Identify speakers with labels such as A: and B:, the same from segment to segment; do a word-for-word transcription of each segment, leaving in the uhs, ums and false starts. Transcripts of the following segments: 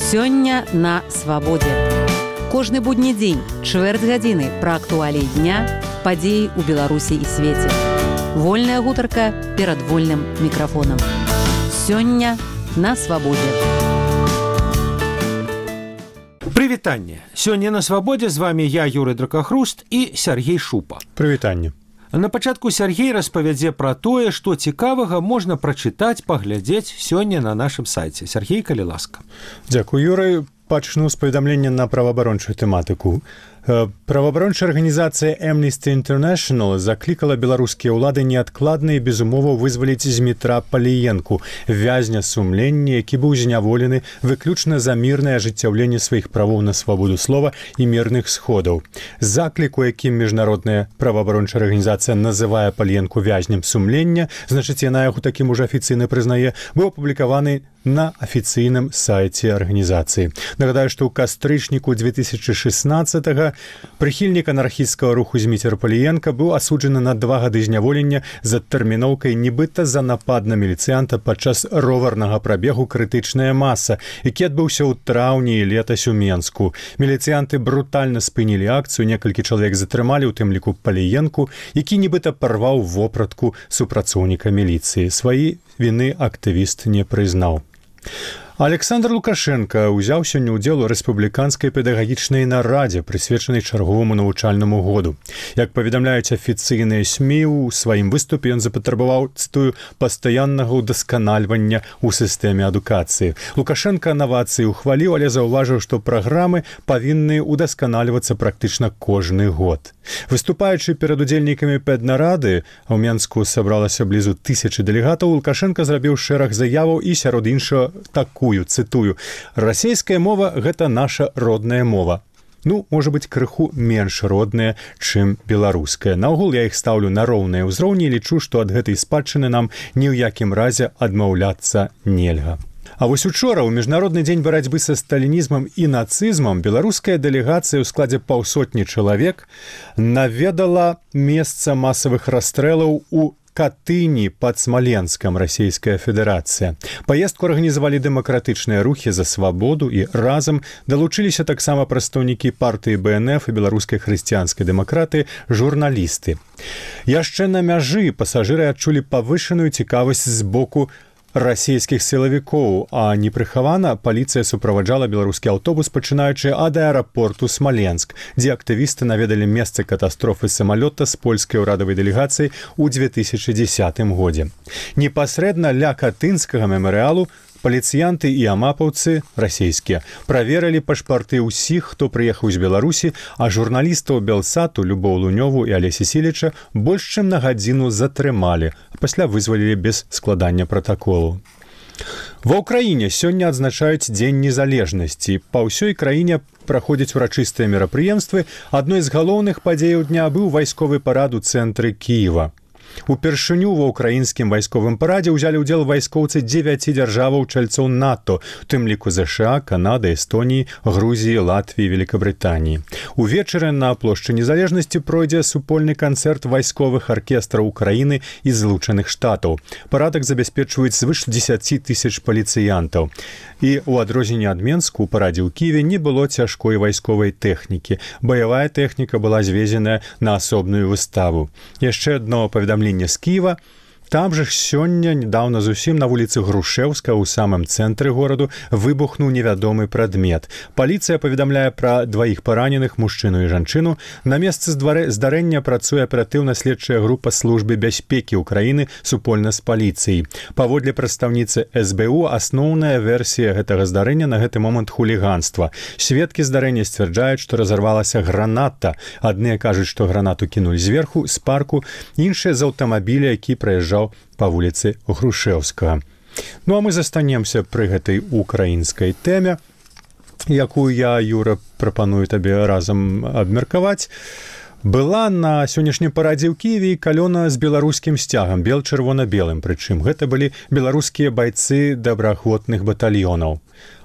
A: Сёння на свабодзе. Кожны будні дзень, чвэрць гадзіны пра актуаліі дня, падзеі ў Беларусі і свеце. Вольная гутарка перад вольным мікрафонам. Сёння на свабодзе.
B: Прывітанне. Сёння на свабодзе з вами я, Юрый Дракахруст і Сергей Шупа.
C: Прывітанне.
B: На пачатку Сергей распавядзе пра тое, што цікавага можна прачытаць, паглядзець сёння на нашым сайце. Сергей, калі ласка.
C: Дзякуй, Юрый. Пачну з паведамлення на праваабарончую тэматыку. Праваабарончая арганізацыя Amnesty International заклікала беларускія ўлады неадкладна і без умоваў вызваліць Змітра Паліенку, вязня сумлення, які быў зняволены выключна за мірнае ажыццяўленне сваіх правоў на свабоду слова і мірных сходаў. Заклік, у якім міжнародная праваабарончая арганізацыя называе Паліенку вязнем сумлення, значыць, яна яго такім ужо афіцыйна прызнае, быў апублікаваны на афіцыйным сайце арганізацыі. Нагадаю, што ў кастрычніку две тысячы шестнадцатага прыхільнік анархісцкага руху Зміцер Паліенка быў асуджаны на два гады зняволення з адтэрміноўкай нібыта за напад на міліцыянта падчас роварнага прабегу «Крытычная маса», які адбыўся ў траўні і летась у Менску. Міліцыянты брутальна спынілі акцыю, некалькі чалавек затрымалі, у тым ліку Паліенку, які нібыта парваў вопратку супрацоўніка міліцыі. Сваі віны актывіст не прызнаў. Александр Лукашенко ўзяў сёння ўдзел у рэспубліканскай педагагічнай нарадзе, прысвечанай чарговаму навучальнаму году. Як паведамляюць афіцыйныя СМІ, у сваім выступе ён запатрабаваў, цытую, пастаяннага ўдасканальвання ў сістэме адукацыі. Лукашенко навацыі ухваліў, але заўважыў, што праграмы павінны ўдасканальвацца практычна кожны год. Выступаючы перад удзельнікамі педнарады, а ў Менску сабралася блізу тысячы дэлегатаў, Лукашенко зрабіў шэраг заяваў і сярод іншага такую, цытую, «Расейская мова – гэта наша родная мова». Ну, можа быць, крыху менш родная, чым беларуская. Наогул я іх стаўлю на роўныя ўзроўні і лічу, што ад гэтай спадчыны нам ні ў якім разе адмаўляцца нельга. А вось учора, у Міжнародны дзень барацьбы са сталінізмам і нацызмам, беларуская дэлегацыя ў складзе паўсотні чалавек наведала месца масавых расстрэлаў у Катыні пад Смаленскам, Расійская Федэрацыя. Паездку арганізавалі дэмакратычныя рухі за свабоду і разам далучыліся таксама прадстаўнікі партыі Бэ Эн Эф і беларускай хрысціянскай дэмакратыі, журналісты. Яшчэ на мяжы пасажыры адчулі павышаную цікавасць з боку расійскіх сілавікоў, а непрыхавана паліцыя суправаджала беларускі аўтобус, пачынаючы ад аэрапорту Смаленск, дзе актывісты наведалі месца катастрофы самалёта з польскай урадавай дэлегацыяй у две тысячы дзесятым годзе. Непасрэдна ля катынскага мемарыялу паліцыянты і амапаўцы, расійскія, праверылі пашпарты ўсіх, хто прыехаў з Беларусі, а журналістаў Белсату Любоў Лунёву і Алесі Сіліча больш чым на гадзіну затрымалі, а пасля вызвалілі без складання пратаколу. Ва ўкраіне сёння адзначаюць Дзень незалежнасці. Па ўсёй краіне праходзяць урачыстыя мерапрыемствы. Адной з галоўных падзеяў дня быў вайсковы парад у цэнтры Кіева. Упершыню ва ўкраінскім вайсковым парадзе ўзялі ўдзел вайскоўцы дзевяці дзяржаваў чальцоў НАТО, у тым ліку ЗША, Канады, Эстоніі, Грузіі, Латвіі, Великабрытаніі. Увечары на плошчы незалежнасці пройдзе супольны канцэрт вайсковых аркестраў Украіны і Злучаных Штатаў. Парадак забяспечваюць звыш дзесяці тысяч паліцыянтаў. І ў адрозненне ад Менску, у парадзе ў Кіеве не было цяжкой вайсковай тэхнікі. Баявая тэхніка была звезеная на асобную выставу. Яшчэ адно паведамленне з Кіева. Там жа сёння, недаўна зусім, на вуліцы Грушэўска, ў самым цэнтры гораду, выбухнуў невядомы прадмет. Паліцыя паведамляе пра дваіх параненых, мужчыну і жанчыну. На месцы здарэння працуе аператыўна-следчая група службы бяспекі ўкраіны супольна з паліцыяй. Паводле прадстаўніцы эс бэ у, асноўная версія гэтага здарэння на гэты момант хуліганства. Сведкі здарэння сцвярджаюць, што разарвалася граната. Адныя кажуць, што гранату кінулі зверху, з парку, іншыя з аўтамабіля, які праязджаў па вуліцы Грушэўскага. Ну а мы застанемся пры гэтай украінскай тэме, якую я, Юра, прапаную табе разам абмеркаваць. Была на сённяшнім парадзе ў Кіеве калёна з беларускім сцягам, бел-чырвона-белым, прычым гэта былі беларускія байцы добраахвотных батальёнаў.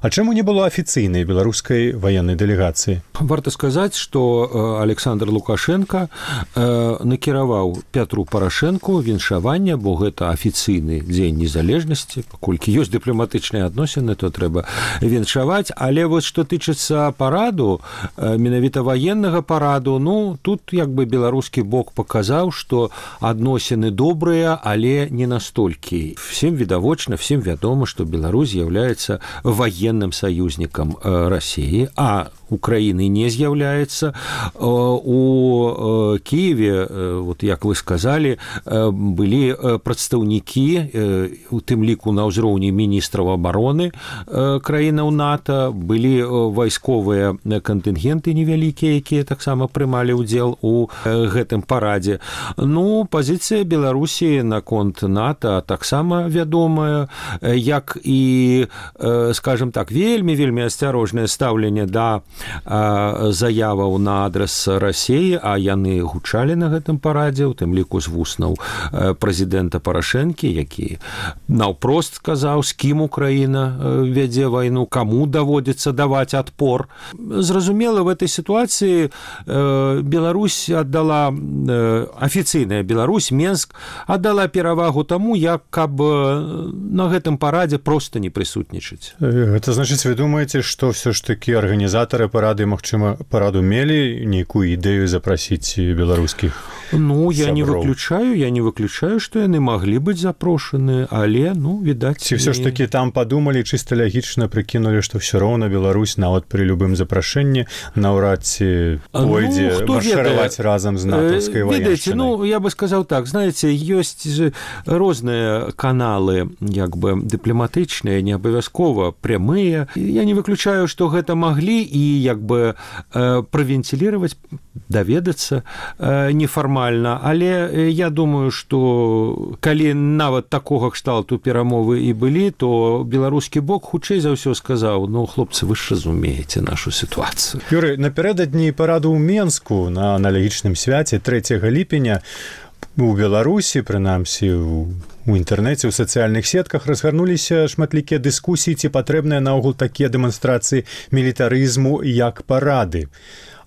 C: А чаму не было афіцыйнай беларускай ваеннай дэлегацыі?
B: Варта сказаць, што Александр Лукашенко накіраваў Пятру Парашэнку віншаванне, бо гэта афіцыйны дзень незалежнасці, паколькі ёсць дыпламатычныя адносіны, то трэба віншаваць, але вось што тычыцца параду, менавіта ваеннага параду, ну тут як бы беларускі бок паказаў, што адносіны добрыя, але не настолькі. Всем відавочна, всем вядома, што Беларусь з'яўляецца военным союзнікам России, а Украины не з'яўляецца. У Киеве, вот як вы сказали, былі прадстаўнікі, у тым ліку на ўзроўні міністраў абароны краінаў НАТО, былі вайсковыя кантынгенты невялікія, якія таксама прымалі ўдзел у гэтым парадзе. Ну, пазіцыя Беларусі наконт НАТО таксама вядомая, як і, скажем так, вельмі-вельмі асцярожнае стаўленне да заяваў на адрес России, а яны гучалі на гэтым парадзе, у тым ліку з вуснаў прэзідэнта Парашэнкі, які наўпрост сказаў, з кім Украіна вядзе вайну, каму даводзіцца даваць адпор. Зразумела, в этой ситуации Беларусь аддала, афіцыйная Беларусь, Менск, аддала перавагу таму, як каб на гэтым парадзе проста не прысутнічаць.
C: Гэта значыць, вы думаеце, што ўсё ж такі арганізатары парады, магчыма, параду мелі нейкую ідэю запрасіць беларускіх?
B: Ну, я сяброў. не выключаю, я не выключаю, што яны маглі быць запрошаны, але, ну, відаць...
C: Ці ўсё ж такі там падумалі, чыста лягічна прыкінулі, што ўсё роўна Беларусь нават пры любым запрашэнні наўрад ці пойдзе ну, маршыраваць разам з натаўскай ваеншчынай.
B: Ведаеце, ну, я бы сказаў так, знаеце, ёсць розныя каналы, як бы, дыпламатычныя, не абавязкова прямыя. Я не выключаю, што гэта маглі і, як бы, правентилировать, даведацца нефармальна, але я думаю, што калі нават такога кшталту перамовы і былі, то беларускі бок хутчэй за ўсё сказаў, ну, хлопцы, вы ж разумееце нашу сітуацыю.
C: Юрый, напярэдадні параду ў Менску на аналагічным свяце трэцяга ліпеня у Беларусі, прынамсі, у інтэрнэце, у сацыяльных сетках разгарнуліся шматлікія дыскусіі, ці патрэбныя наогул такія дэманстрацыі мілітарызму як парады.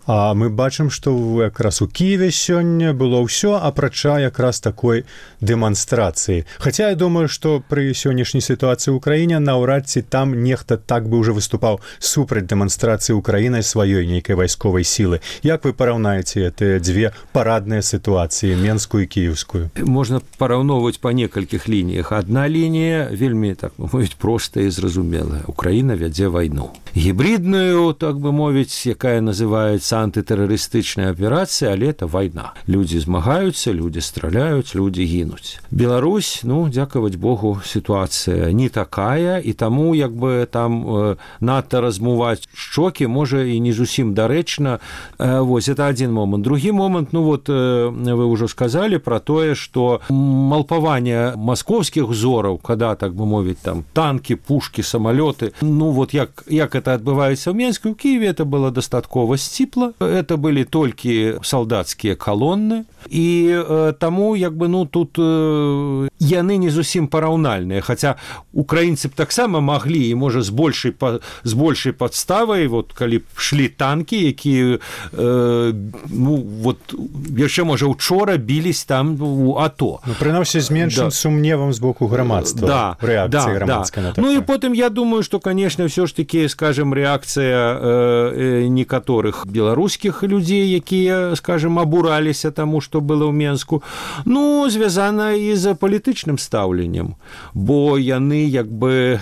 C: А мы бачым, што якраз у Киеве сёння было ўсё, апрача якраз такой дэманстрацыі. Хаця я думаю, што пры сённяшняй сітуацыі ў краіне наўрад ці там нехта так бы ўжо выступаў супраць дэманстрацыі Украінай сваёй нейкай вайсковай сілы. Як вы параўнаеце гэтыя дзве парадныя сітуацыі, менскую і кіеўскую?
B: Можна параўноўваць па некалькіх лініях. Адна лінія вельмі, так бы мовіць, простая і зразумелая. Украіна вядзе вайну. Гібридную, так бы мовіць, якая называецца антытэрарыстычная аперацыя, але это вайна. Людзі змагаюцца, людзі страляюць, людзі гінуць. Беларусь, ну, дзякаваць Богу, сітуацыя не такая, і таму, як бы, там э, надта размуваць шчокі, можа, і не зусім дарэчна. Э, вось, это адзін момант. Другі момант, ну, вот, э, вы ўжо сказалі пра тое, што малпаванне маскоўскіх узораў, когда, так бы мовіць, там, танкі, пушкі, самалёты, ну, вот, як, як это адбываецца ў Менску, ў Киеве это было дастаткова сціпла. Это были толькі салдацкія калоны, і э, таму, як бы, ну, тут э, яны не зусім параўнальныя, хаця украінцы б таксама маглі, і, можа, з большай, з большай падставай, вот, калі б шлі танкі, якія, э, ну, вот, яшчэ, можа, учора білись там у АТО.
C: Ну, прынамсі, з меншым да. сумневам з боку грамадства,
B: да,
C: рэакцыі
B: да,
C: грамадскай
B: да.
C: на такое.
B: Ну, і потым, я думаю, што, канешне, ўсё ж такі, скажем, рэакцыя э, некаторых беларускіх беларускіх людзей, якія, скажем, абураліся таму, што было ў Менску, ну, звязана і з палітычным стаўленнем, бо яны, як бы,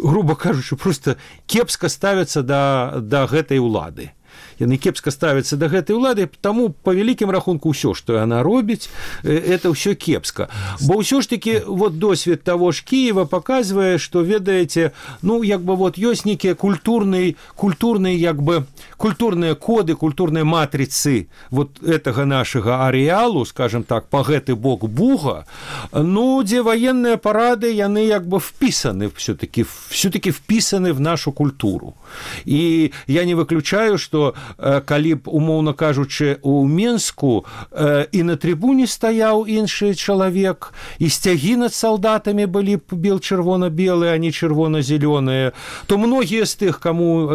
B: груба кажучы, просто кепска ставяцца да, да гэтай улады. Яны кепска ставяцца да гэтай улады, таму па вялікім рахунку ўсё, што яна робіць, это ўсё кепска. Бо ўсё ж такі вот досвед таго ж Кіева паказвае, што, ведаеце, ну, як бы вот ёсць нейкія культурныя, культурныя, як бы, культурныя коды, культурныя матрыцы вот гэтага нашага арэалу, скажем так, па гэты бок Буга, ну, дзе ваенныя парады, яны як бы впісаны, все-таки, все-таки впісаны в нашу культуру. І я не выключаю, што калі б, умоўна кажучы, у Менску і на трыбуне стаяў іншы чалавек, і сцягі над салдатамі былі б бел-чырвона-белыя, а не чырвона-зелёныя, то многія з тых, каму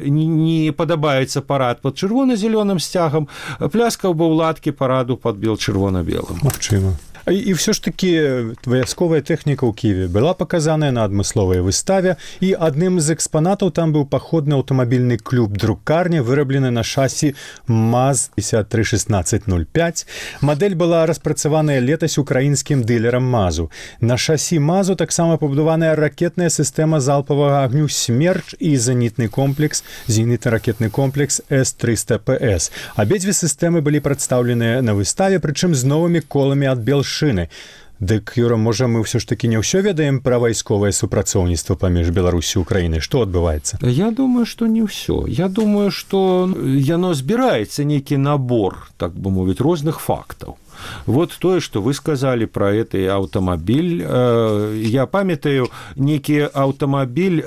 B: не падабаецца парад пад чырвона-зелёным сцягам, пляскаў бы ў ладкі параду пад бел-чырвона-белым.
C: Магчыма. І ўсё ж такі вайсковая тэхніка ў Кіеве была паказаная на адмысловай выставе, і адным з экспанатаў там быў паходны аўтамабільны клуб друкарня, выраблены на шасі МАЗ пятьдесят три шестнадцать ноль пять. Мадэль была распрацаваная летась украінскім дылерам МАЗу. На шасі МАЗу таксама пабудаваная ракетная сістэма залпавага агню «Смерч» і зенітны комплекс, зенітна-ракетны комплекс эс триста пэ эс. Абедзве сістэмы былі прадстаўленыя на выставе, прычым з новымі коламі ад Белшыны. Дык, Юра, можа, мы ўсё ж такі не ўсё ведаем пра вайсковае супрацоўніцтва паміж Беларусі і Украінай? Што адбываецца?
B: Я думаю, што не ўсё. Я думаю, што яно збіраецца нейкі набор, так бы мовіць, розных фактаў. Вот тое, што вы сказалі пра гэты аўтамабіль. Я памятаю, нейкі аўтамабіль,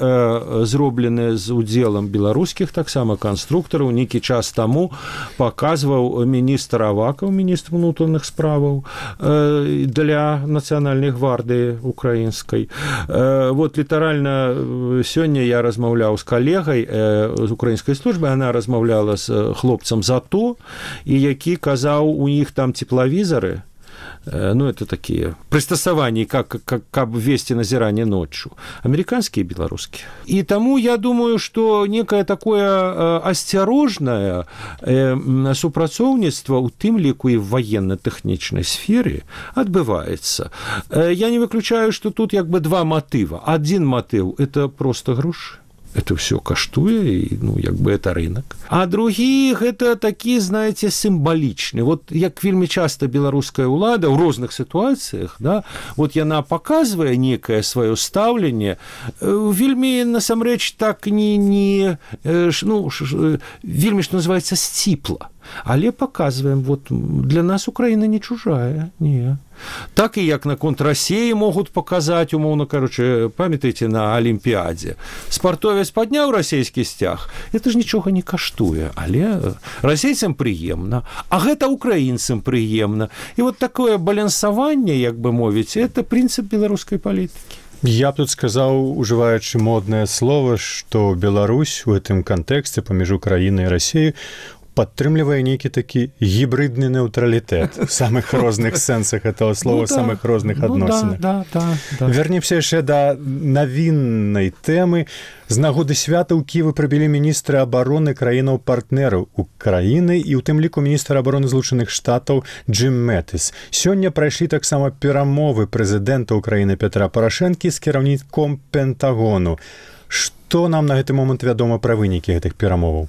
B: зроблены з удзелам беларускіх таксама канструктараў, нейкі час таму паказваў міністр Авакаў, міністр унутраных справаў, для нацыянальнай гвардыі украінскай. Вот літаральна сёння я размаўляў з калегай з украінскай службы, она размаўляла з хлопцам ЗАТО, і які казаў, у іх там теплавізор, ну, это такие пристасования, как, как, как вести назирание ночью, американские и белорусские. И тому я думаю, что некое такое осторожное супрацоўніцтва, у тым ліку и в военно-технической сфере, отбывается. Я не выключаю, что тут как бы два мотива. Один мотив – это просто гроши. Это все каштуе, и, ну, як бы это рынок. А другие, это такие, знаете, символичные. Вот як вельмі часто беларуская ўлада ў розных ситуациях, да, вот яна показывае некое свое ставленне, вельмі, насамрэч, так не, не ну, вельмі, что называется, сціпла. Але показываем, вот для нас Украина не чужая, не. Так і як наконт России могут показать, умоўно, короче, памятаеце на Олимпиаде. Спартовец подняў расійскі сцяг, это ж нічога не каштуе, але расейцам прыемна, а гэта украінцам прыемна. І вот такое балансаванне, як бы мовіць, это прынцып беларускай палітыкі.
C: Я б тут сказаў, ужываючы моднае слово, што Беларусь у гэтым кантэксце паміж Украінай і Расіяй падтрымлівае нейкі такі гібридны нейтралітэт в самых розных сэнсах этого слова, ну, да, самых розных
B: ну,
C: адносінах.
B: Да, да, да, да.
C: Вернемся яшчэ да навіннай тэмы. З нагоды свята ў Кіеве прыбілі міністры абароны краінаў-партнераў Украіны і ў тым ліку міністр абароны Злучаных Штатаў Джим Мэтыс. Сёння прайшлі таксама перамовы прэзідэнта Украіны Петра Парашэнкі з кіраўніком Пентагону. Што нам на гэты момант вядома пра вынікі гэтых перамоваў?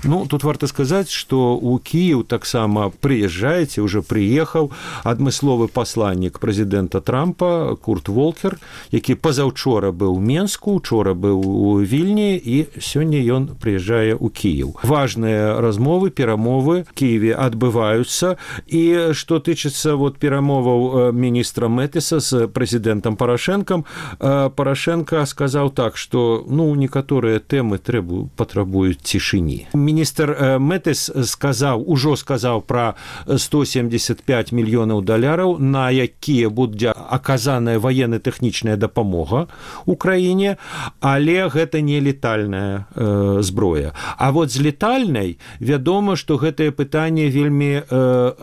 B: Ну, тут варта сказаць, што ў Кіеў таксама прыязджаеце, уже прыехаў адмысловы пасланнік прэзідэнта Трампа Курт Волкер, які пазаўчора быў у Менску, учора быў у Вільні, і сёння ён прыязджае ў Кіеў. Важныя размовы, перамовы в Кіеве адбываюцца, і што тычыцца вот перамоваў міністра Мэтыса з прэзідэнтам Парашэнкам, Парашэнка сказаў так, што, ну, некаторыя тэмы трэбу, патрабуюць цішыні. Міністр Мэтыс сказаў, ужо сказаў пра сто семьдесят пять мільёнаў даляраў, на якія будзе аказаная военно-тэхнічная дапамога Украіне, але гэта не летальная э, зброя. А вот з летальнай вядома, што гэтае пытанне вельмі э, э,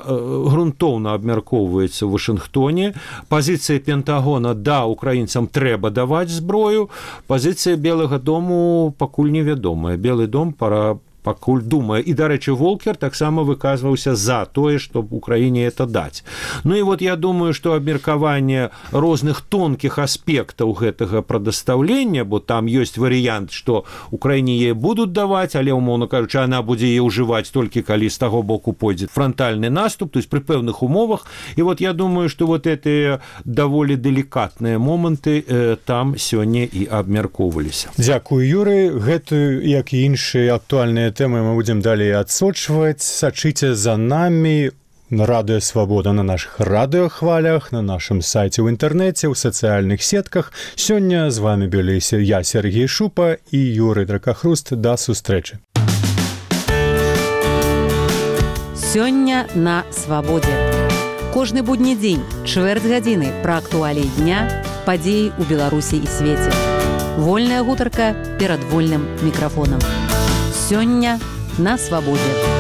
B: грунтоўна абмяркоўваецца ў Вашынгтоне. Пазіцыя Пентагона, да, украінцам трэба даваць зброю, пазіцыя Белага дому пакуль невядомая. Белы дом пара пакуль думае. І, дарэчы, Волкер таксама выказваўся за тое, чтобы Украіне это даць. Ну і вот я думаю, што абмеркаванне розных тонкіх аспектаў гэтага прадастаўлення, бо там ёсць варыянт, што Украіне яе будуць даваць, але, умоўна кажучы, она будзе яе ўжываць толькі калі з таго боку пойдзе франтальны наступ, то есть пры пэўных умовах. І вот я думаю, што вот гэтыя даволі делікатныя моманты э, там сёння і абмяркоўваліся.
C: Дзякую, Юры. Гэтую, як і іншыя актуальныя тэмы мы будзем далей адсочваць. Сачыце за намі на Радыё Свабода, на нашых радыёхвалях, на нашым сайце ў інтэрнэце, ў сацыяльных сетках. Сёння з вами былі я, Сергей Шупа, і Юрый Дракахруст. Да сустрэчы.
A: Сёння на свабодзе. Кожны будні дзень, чвэрць гадзіны пра актуаліі дня, падзеі ў Беларусі і свеце. Вольная гутарка перад вольным мікрафонам. Сёння на свабодзе.